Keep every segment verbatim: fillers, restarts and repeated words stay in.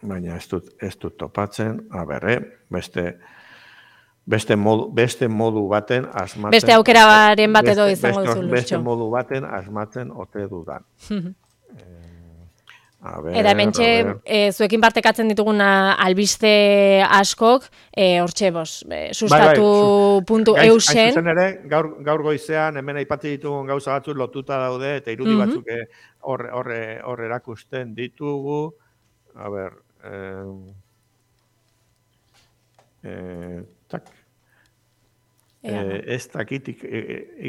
baina ez dut, ez dut topatzen, a ber, eh? beste, beste, modu, beste modu baten asmatzen... Beste aukeraren bat edo izango beste, duzu, Lurtxo. Beste modu baten asmatzen ote dudan. A ber, Eta hementxe, e, zuekin partekatzen ditugun albiste askok, e, hortxe, bos, e, sustatu puntu eusen. Hain zuzen ere, gaur, gaur goizean, hemen aipatzi ditugun gauza batzuk lotuta daude, eta irudi Mhm. batzuk hor eh, hor erakusten ditugu. A ber, eh, eh, tak, eh, ez dakitik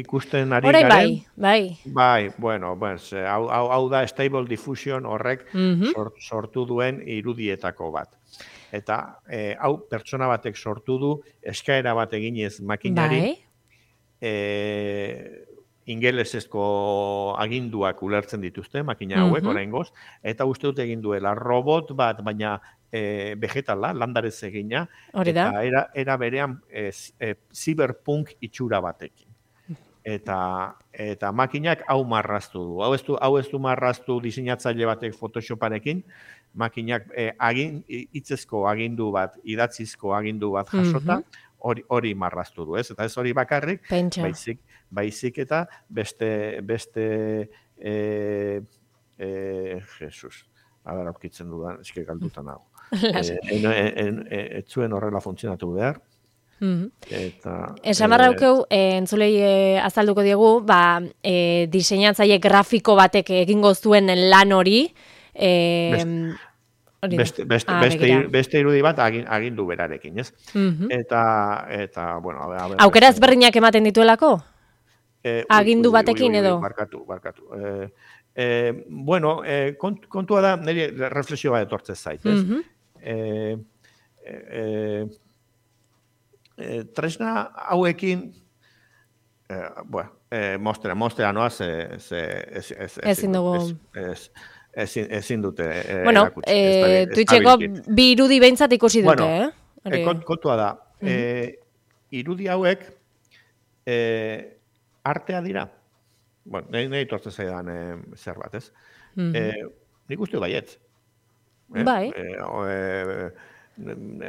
ikusten ari Orain garen. bai, bai. Bai, bueno, pues, hau, hau, hau da Stable Diffusion horrek Mhm. sort, sortu duen irudietako bat. Eta eh, hau pertsona batek sortu du, eskaera bat eginez makinari, Bai. eh, ingelesezko aginduak ulertzen dituzte, makina hauek, Mhm. oraingoz, eta uste dut egin duela robot bat, baina e, vegetala, landarez egina, Hori da. eta era, era berean e, e, cyberpunk itxura batekin. Eta, eta makinak hau marraztu du. Hau ez du, hau ez du marraztu diseinatzaile batek Photoshoparekin, makinak e, agin, hitzezko agindu bat, idatzizko agindu bat jasota, hori hori marraztu du, ez? Eta ez hori bakarrik, Pentsa. baizik, baizik eta beste, beste, e, e, Jesus, adara aurkitzen dudan, eske galduta nago. Ez zuen horrela funtzionatu behar. Eta, esan barraukeu, e, entzulei e, azalduko diegu, ba, e, diseinatzaile grafiko batek egingo zuen lan hori, e, beste, beste, ah, beste, beste irudi bat agin, agindu berarekin, ez? Uh-huh. Eta, eta, bueno, a ver, a ver, aukera ezberdinak ematen dituelako? Eh, agindu batekin ui, ui, ui, edo? Barkatu, barkatu. Eh, eh, bueno, eh, kont, kontua da, nire reflexio bat etortzen zait, ez? Uh-huh. eh, eh, eh, tresna hauekin, eh, bueno, eh, mostera, mostera noa, ze, ze, ez, ez, ez, ezin dugu. Ez, ezin, ezin dute eh, bueno, erakutsi. Eh, Twitcheko bi irudi behintzat ikusi dute, bueno, eh? Kont, kontua da, uh-huh. eh, irudi hauek eh, artea dira. Bueno, nahi, nahi tortzen zaidan eh, zer bat, ez? Uh-huh. eh, nik uste baietz. Eh? Bai. Eh, eh,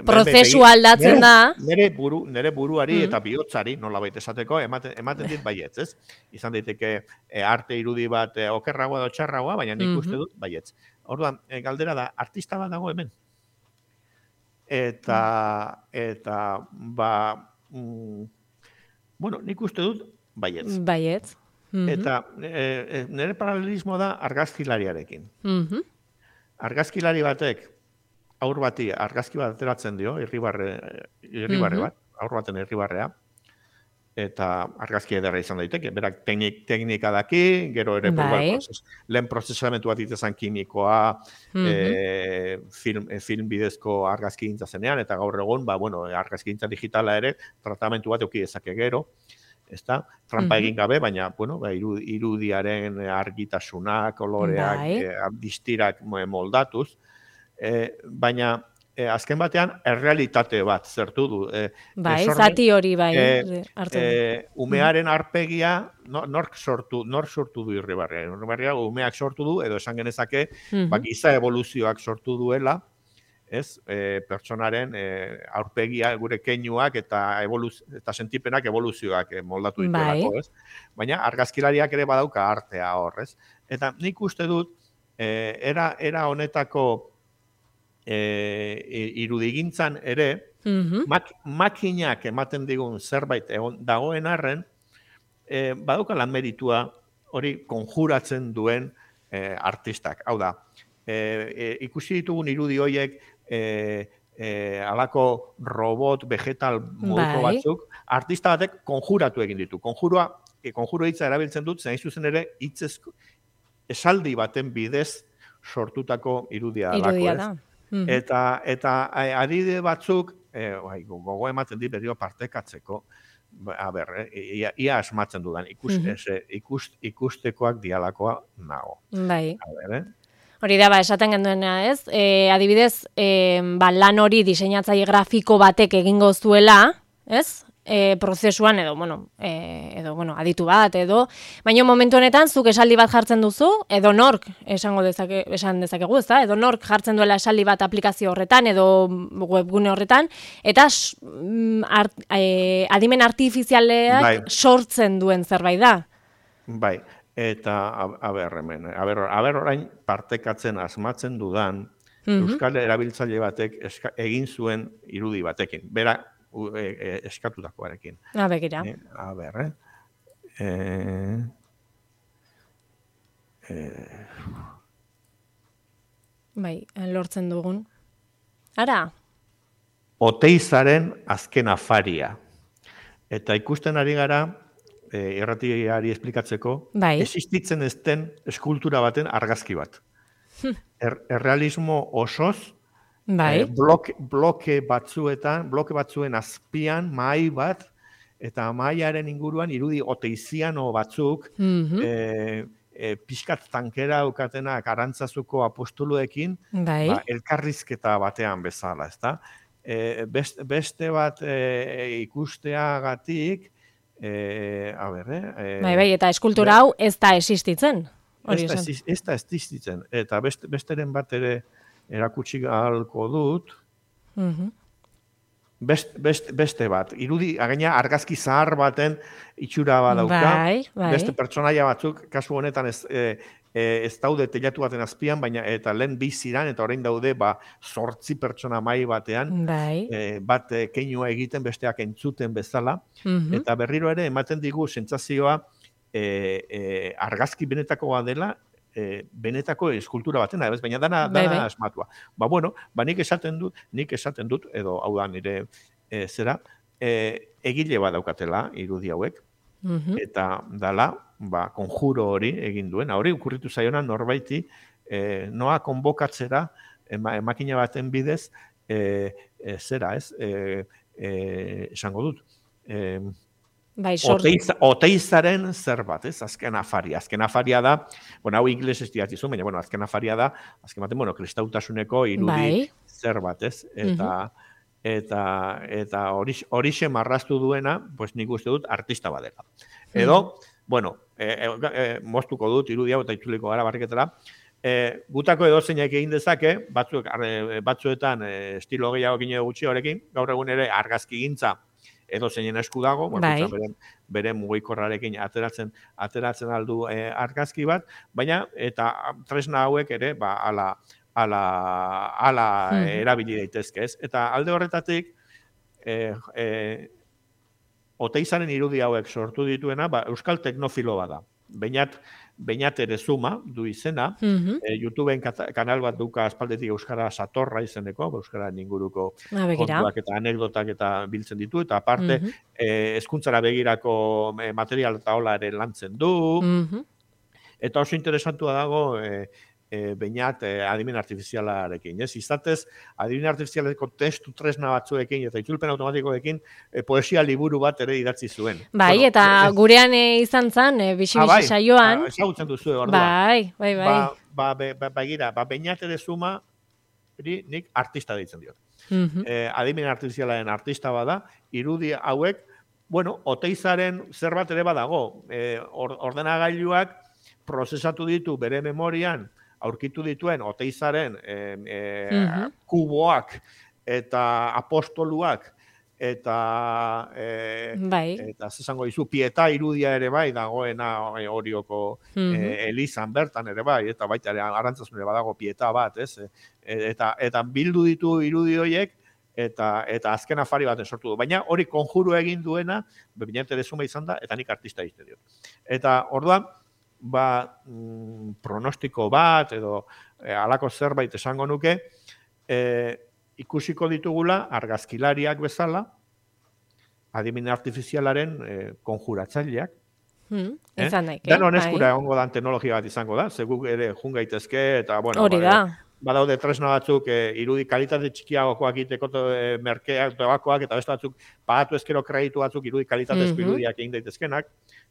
prozesu aldatzen da. Nere, buru, nere buruari mm. eta bihotzari, nola baita esateko, ematen, ematen dit baietz, ez? Izan daiteke e, arte irudi bat e, okerragoa edo txarragoa, baina nik mm-hmm. uste dut baietz. Orduan, e, galdera da, artista bat dago hemen. Eta, eta, ba, mm, bueno, nik uste dut baietz. Baietz. Mm-hmm. Eta e, nere paralelismoa da argazkilariarekin. Mm-hmm. Argazkilari batek, aur bati argazki bat ateratzen dio, irribarre, irribarre bat, aur baten irribarrea, eta argazki ederra izan daiteke. Berak teknik, teknika daki, gero ere bai. proces, lehen prozesamentu bat itezan kimikoa, mm-hmm. e, film, e, film bidezko argazki gintza zenean, eta gaur egun, ba, bueno, argazki gintza digitala ere, tratamentu bat euki dezake gero, ezta? Trampa mm-hmm. egin gabe, baina, bueno, ba, irudiaren argitasuna, koloreak, bai. e, distirak moldatuz, E, baina e, azken batean errealitate bat zertu du. E, bai, e, zati hori bai. E, e, umearen arpegia no, nork sortu, nork sortu du irribarrea. Irribarrea umeak sortu du, edo esan genezake, mm-hmm. ba, giza evoluzioak sortu duela, ez, e, pertsonaren e, aurpegia, gure keinuak eta evoluz, eta sentipenak evoluzioak e, moldatu dituelako, bai. Ez? Baina argazkilariak ere badauka artea horrez. Eta nik uste dut, e, era, era honetako E, irudigintzan ere, mm-hmm. mak, makinak ematen digun zerbait egon, dagoen arren, e, badauka lan meritua hori konjuratzen duen e, artistak. Hau da, e, e, ikusi ditugun irudi horiek e, e, alako robot, vegetal moduko bai. batzuk, artista batek konjuratu egin ditu. Konjurua, e, konjuro hitza erabiltzen dut, zen zuzen ere, hitzezko esaldi baten bidez sortutako irudia dalako. Irudia da. Mm-hmm. Eta, eta adide batzuk, e, bai, gogo ematen dit berio partekatzeko, a ber, e, ia, ia asmatzen dudan, ikus, mm-hmm. ese, ikust, ikustekoak dialakoa nago. Bai. A ber, eh? Hori da, ba, esaten genduena, ez? E, adibidez, e, ba, lan hori diseinatzaile grafiko batek egingo zuela, ez? e, prozesuan, edo, bueno, e, edo, bueno, aditu bat, edo, baina momentu honetan, zuk esaldi bat jartzen duzu, edo nork, esango dezake, esan dezakegu, ezta? Edo nork jartzen duela esaldi bat aplikazio horretan, edo webgune horretan, eta art, e, adimen artifizialeak bai. Sortzen duen zerbait da. Bai, eta, a ber, hemen, a ber, a ber orain partekatzen asmatzen dudan, Euskal erabiltzaile batek eska, egin zuen irudi batekin. Bera, e, e, eskatutakoarekin. A begira. E, a ber, eh? E, e, bai, lortzen dugun. Ara? Oteizaren azken afaria. Eta ikusten ari gara, e, erratiari esplikatzeko, bai. Existitzen ez den eskultura baten argazki bat. Er, errealismo osoz, bai. eh, bloke, bloke batzuetan, bloke batzuen azpian, mahai bat, eta mahaiaren inguruan irudi oteiziano batzuk, mm-hmm. eh, eh, pixkat tankera aukatenak arantzazuko apostoluekin, bai. Ba, elkarrizketa batean bezala, ezta? Eh, best, beste bat eh, ikusteagatik, eh, a ber, eh, bai, bai, eta eskultura hau ez da existitzen. Ez da, ez da existitzen, eta best, besteren bat ere erakutsi ahalko dut, mm-hmm. best, best, beste bat, irudi, againa argazki zahar baten itxura badauka, bai, bai. Beste pertsonaia batzuk, kasu honetan ez, e, e, ez daude telatu baten azpian, baina eta lehen biziran, eta orain daude ba, zortzi pertsona mai batean, bai. e, bat e, keinua egiten, besteak entzuten bezala, mm-hmm. eta berriro ere ematen digu sentsazioa, E, e, argazki benetakoa dela, e, benetako eskultura batena, baina dana, dana bai, bai. Asmatua. Ba, bueno, ba, nik esaten dut, nik esaten dut, edo hau da nire e, zera, e, egile bat daukatela irudi hauek, mm-hmm. eta dala, ba, konjuro hori egin duen, hori okurritu zaiona norbaiti, e, noa konbokatzera, ema, emakina baten bidez, e, e, zera, ez, e, e, esango dut, e, Bai, Oteiz, oteizaren zer bat, ez? Azken afaria. Azken afaria da, bueno, hau ingles ez diatzizu, baina, bueno, azken afaria da, azken baten, bueno, kristautasuneko irudi bai. Zer bat, ez? Eta, mm-hmm. eta, eta horixe marraztu duena, pues nik uste dut, artista badela. Edo, mm-hmm. bueno, e, e, e, moztuko dut, irudi hau eta itzuliko gara barriketara, e, gutako edo zeinak egin dezake, batzuk, arre, batzuetan e, estilo gehiago gine gutxi horrekin, gaur egun ere argazki gintza, edo zeinen esku dago, bai. bere, bere mugikorrarekin ateratzen ateratzen aldu e, argazki bat, baina eta tresna hauek ere ba ala ala ala hmm. erabili daitezke, ez? Eta alde horretatik eh eh Oteizaren irudi hauek sortu dituena, ba, euskal teknofilo bada. Beinat Beinat ere zuma du izena, mm-hmm. e, YouTubeen kanal bat duka aspaldetik euskara satorra izeneko, euskara inguruko kontuak eta anekdotak eta biltzen ditu, eta aparte mm-hmm. e, hezkuntzara begirako material eta hola ere lantzen du, mm-hmm. eta oso interesantua dago e, e, Beinat e, adimen artifizialarekin. Ez? Izatez, adimen artifizialeko testu tresna batzuekin eta itzulpen automatikoekin e, poesia liburu bat ere idatzi zuen. Bai, bueno, eta e, gurean e, izan zen, e, bixi-bixi saioan. Ah, ezagutzen duzu, orduan. Bai, bai, bai. Ba, ba, be, ba, ba, gira, ba, Beinat ere zuma, nik artista deitzen diot. Mm-hmm. E, adimen artifizialaren artista bada, irudi hauek, bueno, Oteizaren zerbait ere badago. E, or, ordenagailuak prozesatu ditu bere memorian, aurkitu dituen Oteizaren e, e, mm-hmm. kuboak eta apostoluak eta e, bai. Eta zesango dizu pieta irudia ere bai dagoena Orioko mm-hmm. e, elizan bertan ere bai, eta baita ere Arantzasun ere badago pieta bat, ez? E, eta, eta bildu ditu irudi horiek eta eta azken afari baten sortu du. Baina hori konjuru egin duena, Beinat ere zuma izan da, eta nik artista egiten diot. Eta orduan, ba, mm, pronostiko bat edo e, alako zerbait esango nuke, e, ikusiko ditugula argazkilariak bezala, adimen artifizialaren e, konjuratzaileak. Hmm, eh? Daik, eh? Danon eskura egongo dan teknologia bat izango da, ze guk ere jun gaitezke, eta bueno, hori da. badaude tresna batzuk e, irudi kalitate txikiagokoak egiteko e, merkeak, tobakoak, eta beste batzuk pagatu ezkero kreditu batzuk irudi kalitatezko Mhm. irudiak egin daitezkenak,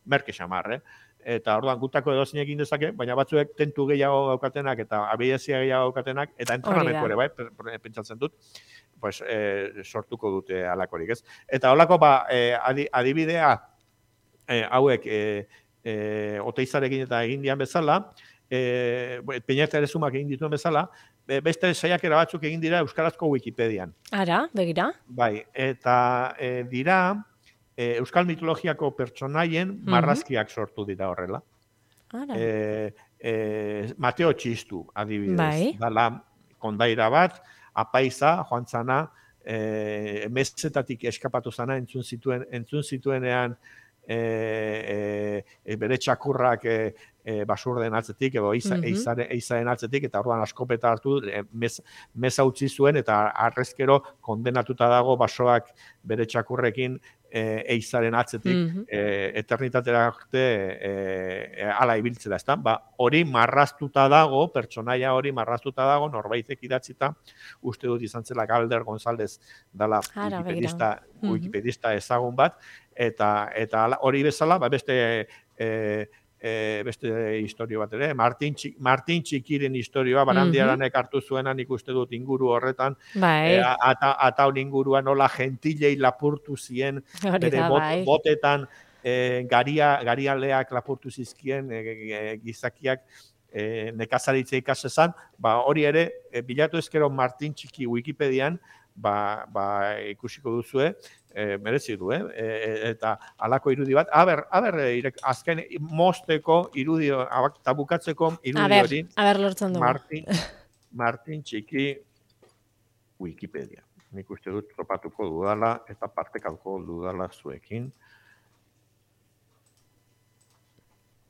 merke xamar, eh? Eta orduan gutako edozein egin dezake, baina batzuek tentu gehiago daukatenak eta abiezia gehiago daukatenak, eta entrenamentu ere, bai, pe- pe- pentsatzen dut, pues, e, sortuko dute alakorik, ez? Eta holako, ba, e, adi- adibidea e, hauek e, e, oteizarekin eta egin dian bezala, e, Peñata ere sumak egin dituen bezala, be- beste saiakera batzuk egin dira euskarazko Wikipedian. Ara, begira. Bai, eta e, dira e, euskal mitologiako pertsonaien Mhm. marrazkiak sortu dira horrela. Ara. E, e, Mateo Txistu, adibidez. Bai. Dala kondaira bat, apaiza, joan zana, e, mezetatik eskapatu zana, entzun zituen, entzun zituenean e, e, e, bere txakurrak e, e, basurden atzetik, edo eiza, Mhm. eizaren, eizaren atzetik, eta orduan askopeta hartu, e, mez, meza utzi zuen, eta arrezkero kondenatuta dago basoak bere txakurrekin e, eizaren atzetik, Mhm. e, eternitatera arte e, e, ala ibiltzera, ezta? Ba, hori marraztuta dago, pertsonaia hori marraztuta dago, norbaitek idatzita, uste dut izan zela Galder González dala Ara, wikipedista, Mhm. wikipedista ezagun bat, eta eta hala- hori bezala, ba, beste e, e, beste historio bat ere, Martin, Txik, Martin Txikiren historioa, Barandiaranek hartu zuena, nik uste dut inguru horretan, Bai, e, ata, ataun inguruan nola gentilei lapurtu zien, hori bere da, bot, bai. botetan e, garia, garialeak lapurtu zizkien e, e, gizakiak e, nekazaritza ikasezan, ba, hori ere, e, bilatu ezkero Martin Txiki Wikipedian, ba, ba, ikusiko duzue, e, merezi du, eh? E, eta halako irudi bat, aber, aber, irek, azken mosteko irudi, abak- eta bukatzeko A irudi ber, hori, a ber lortzen dugu. Martin, Martin Txiki Wikipedia. Nik uste dut topatuko dudala eta partekatuko dudala zuekin.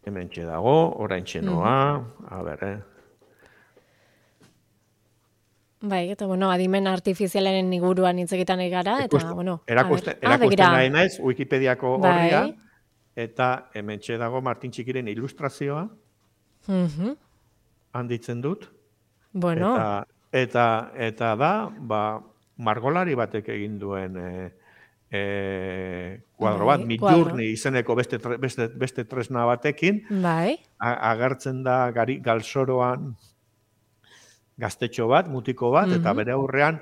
Hemen dago, orain txenoa, a ber, eh? Bai, eta bueno, adimen artifizialaren inguruan hitz egiten ari gara, eta Ikusten- bueno, a erakusten, ber. Ah, erakusten begira. nahi naiz, Wikipediako Bai. horria, eta hemen dago Martin Txikiren ilustrazioa, Mhm. handitzen dut, Bueno, eta, eta, eta da, ba, margolari batek egin duen e, e, kuadro bat, Bai, Midjourney kuadro. izeneko beste, tre- beste, beste tresna batekin, bai. a- agertzen da gari, galsoroan gaztetxo bat, mutiko bat, eta Mhm. bere aurrean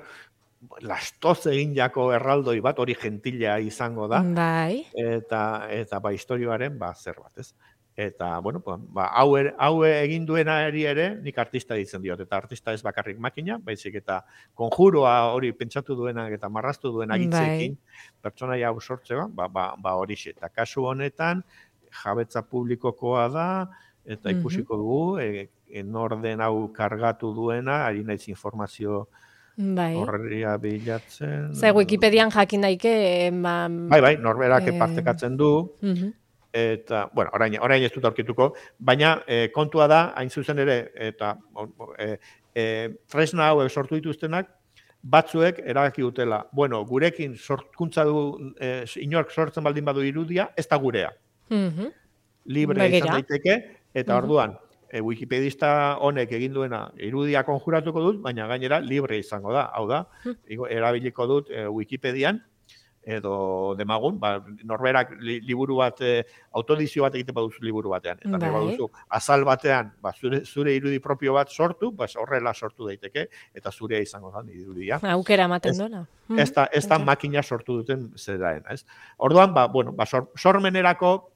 lastoz egin jako erraldoi bat, hori gentila izango da, Bai. eta eta ba historioaren ba zer bat, ez? Eta bueno, ba, ba hau ere, hau egin duenari ere nik artista ditzen diot, eta artista ez bakarrik makina, baizik eta konjuroa hori pentsatu duenak eta marraztu duenak hitzekin pertsonaia hau sortzea, ba ba ba horixe. Eta kasu honetan jabetza publikokoa da, eta Mhm. ikusiko dugu e, e, nor den hau kargatu duena, ari naiz informazio Bai. horria bilatzen. Ze Wikipedian jakin daike, ba... Bai, bai, norberak eh, partekatzen du, mhm. eta, bueno, orain, orain ez dut aurkituko, baina e, kontua da, hain zuzen ere, eta e, e, tresna hauek sortu dituztenak, batzuek erabaki dutela, bueno, gurekin sortkuntza du, e, inork sortzen baldin badu irudia, ez da gurea. Mhm. Libre Begira. izan daiteke, eta Mhm. orduan, e, wikipedista honek egin duena irudia konjuratuko dut, baina gainera libre izango da. Hau da, Mhm. igo- erabiliko dut e, Wikipedian, edo demagun, ba, norberak li, liburu bat, e, autodizio bat egiten baduzu liburu batean. Eta nahi Bai. baduzu, azal batean, ba, zure, zure irudi propio bat sortu, ba, horrela sortu daiteke, eta zurea izango da irudia. Aukera ematen Ez- duela. Ez da, ez da makina sortu duten zeraena, ez? Orduan, ba, bueno, ba, sor, sormenerako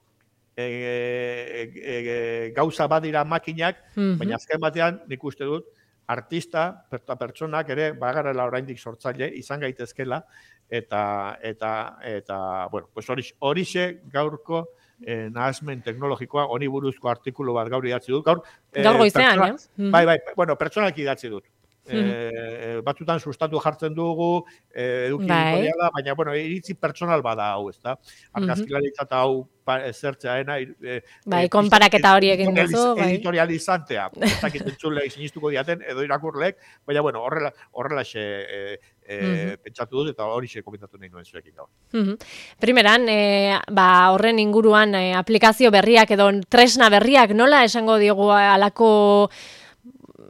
e, e, e, gauza badira makinak, Mhm. baina azken batean nik uste dut artista, eta pertsonak ere bagarela oraindik sortzaile izan gaitezkela, eta eta eta bueno, pues horixe horixe gaurko eh, nahasmen teknologikoa, honi buruzko artikulu bat gaur idatzi dut. Gaur, eh, Gaur goizean, pertsona- eh? Mhm. Bai, bai, bueno, pertsonalki idatzi dut. Mhm. Eh, batzutan sustatu jartzen dugu, eh, eduki Bai. editoriala, baina, bueno, iritzi pertsonal bada hau, ezta? Argazkilaritza eta hau pa- zertzeaena, eh, Bai, eh, konparaketa hori egin editorializ- duzu, bai. editorializantea, ez dakit entzulek sinistuko diaten, edo irakurlek, baina, bueno, horrela, horrela xe, eh, eh, pentsatu dut, eta hori xe komentatu nahi nuen zuekin gaur. Mhm. Primeran, e, ba, horren inguruan e, aplikazio berriak edo tresna berriak nola esango diogu halako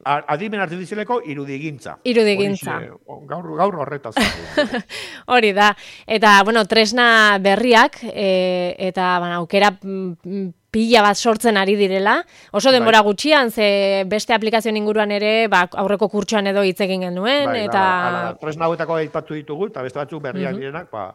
adimen artifizialeko irudigintza. Irudigintza. Gaur, gaur horretaz. Hori da. Eta, bueno, tresna berriak, e, eta bueno, aukera pila bat sortzen ari direla. Oso denbora bai. Gutxian, ze beste aplikazioen inguruan ere, ba, aurreko kurtsoan edo hitz egin genuen. Bai, eta... ala, ala, tresna hauetako aipatu ditugu, eta beste batzuk berriak uh-huh. direnak, ba,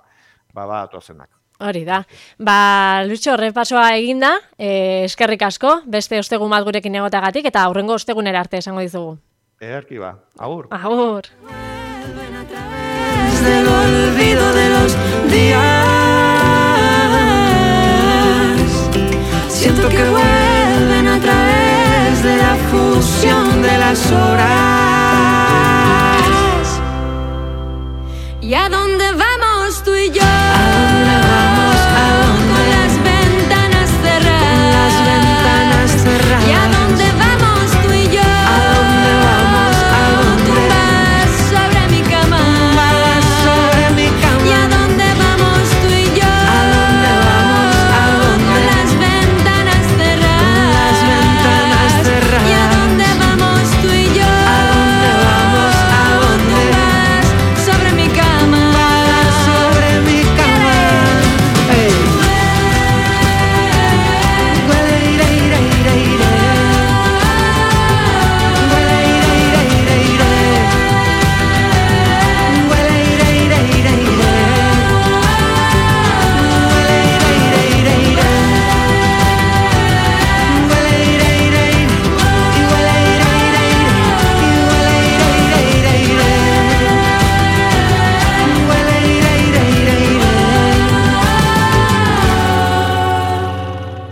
ba, ba, atozenak. Hori da. Ba, Lucho, repasoa eginda, e, eskerrik asko, beste ostegun bat gurekin egotagatik, eta aurrengo ostegunera arte esango dizugu. Ederki ba, agur. Agur. Del olvido de los días, siento que vuelven a través de la fusión de las horas. ¿Y a dónde